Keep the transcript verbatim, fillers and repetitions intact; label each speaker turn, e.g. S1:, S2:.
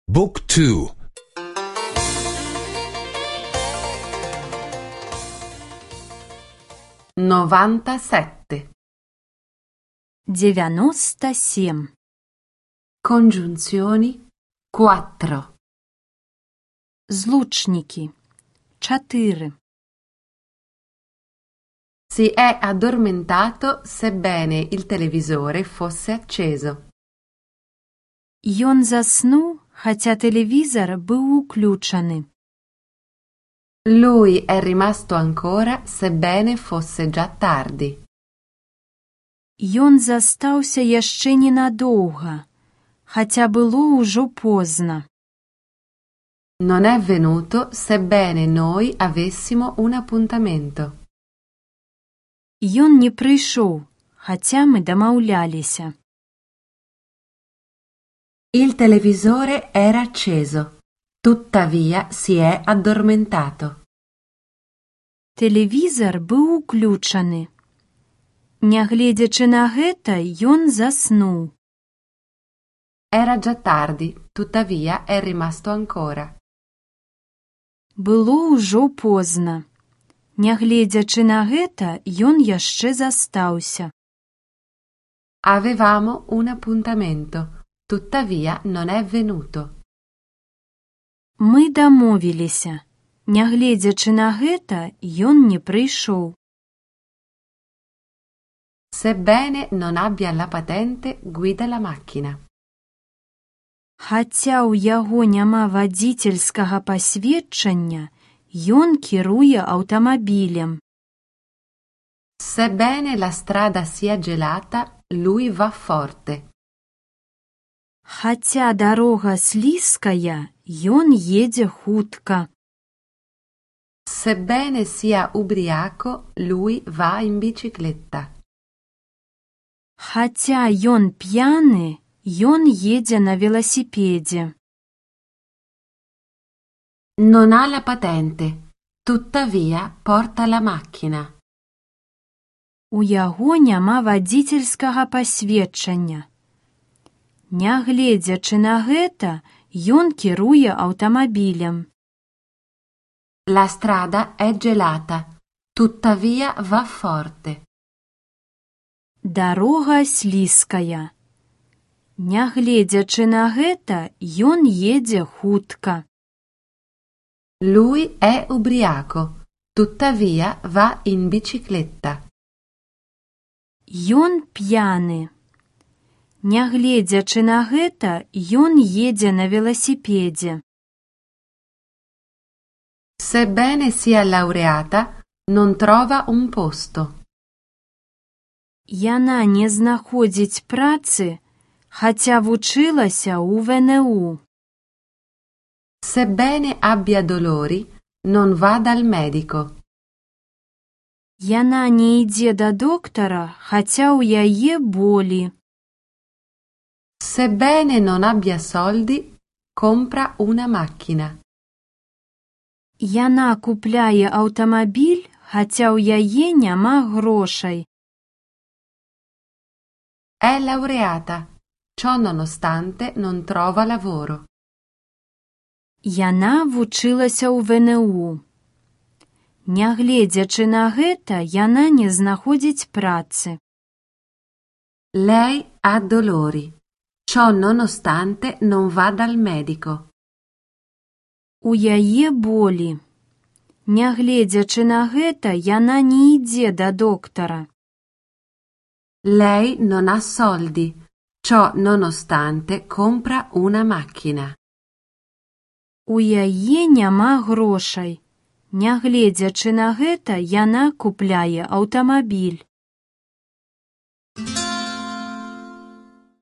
S1: Book two.
S2: novantasette.
S3: девяносто семь.
S2: Congiunzioni quattro.
S3: Злучники четыре.
S2: Si è addormentato sebbene il televisore fosse acceso.
S3: Ён заснуў, хаця тэлевізор быў уключаны.
S2: Lui è rimasto ancora sebbene fosse già tardi.
S3: Ён застаўся яшчэ ненадоўга, хаця было ўжо позна.
S2: Non è venuto sebbene noi avessimo un appuntamento.
S3: Ён не прыйшоў, хаця мы дамаўляліся.
S2: Il televisore era acceso, tuttavia si è addormentato.
S3: Тэлевізор быў уключаны. Нягледзячы на гэта, ён заснуў.
S2: Era già tardi, tuttavia è rimasto ancora.
S3: Было ўжо позна. Нягледзячы на гэта, ён яшчэ застаўся.
S2: Avevamo un appuntamento, tuttavia non è venuto.
S3: Мы дамовіліся. Нягледзячы на гэта, ён не прыйшоў.
S2: Sebbene non abbia la patente, guida la macchina.
S3: Хаця ў яго няма вадзіцельскага пасведчання, ён кіруе аўтамабілем.
S2: Sebbene la strada sia gelata, lui va forte.
S3: Хаця дарога слізкая, ён едзе хутка.
S2: Sebbene sia ubriaco, lui va in bicicletta.
S3: Хаця ён п'яны, ён едзе на велосипедзе.
S2: Non ha la patente, tuttavia porta la macchina.
S3: У яго няма вадзіцельскага пасведчання. Нягледзячы на гэта, ён кіруе аўтамабілем.
S2: La strada è gelata, tuttavia va forte.
S3: Дарога слізкая. Нягледзячы на гэта, ён едзе хутка.
S2: Lui è ubriaco, tuttavia va in bicicletta.
S3: Ён п'яны. Нягледзячы на гэта, ён едзе на велосипедзе.
S2: Sebbene sia laureata, non trova un posto.
S3: Яна не знаходзіць працы, хаця вучылася ў вэ эн у.
S2: Sebbene abbia dolori, non va dal medico.
S3: Яна не ідзе да доктара, хаця ў яе болі.
S2: Sebbene non abbia soldi, compra una macchina.
S3: Яна купляе аўтамабіль, хаця ў яе няма грошай.
S2: È laureata, ciò nonostante non trova lavoro.
S3: Яна вучылася ў вэ эн у. Нягледзячы на гэта, яна не знаходзіць працы.
S2: Lei ha dolori, ciò nonostante non va dal medico.
S3: У яе болі. Нягледзячы на гэта, яна не ідзе да доктара.
S2: Lei non ha soldi, ciò nonostante compra una macchina.
S3: У яе няма грошай. Нягледзячы на гэта, яна купляе аўтамабіль.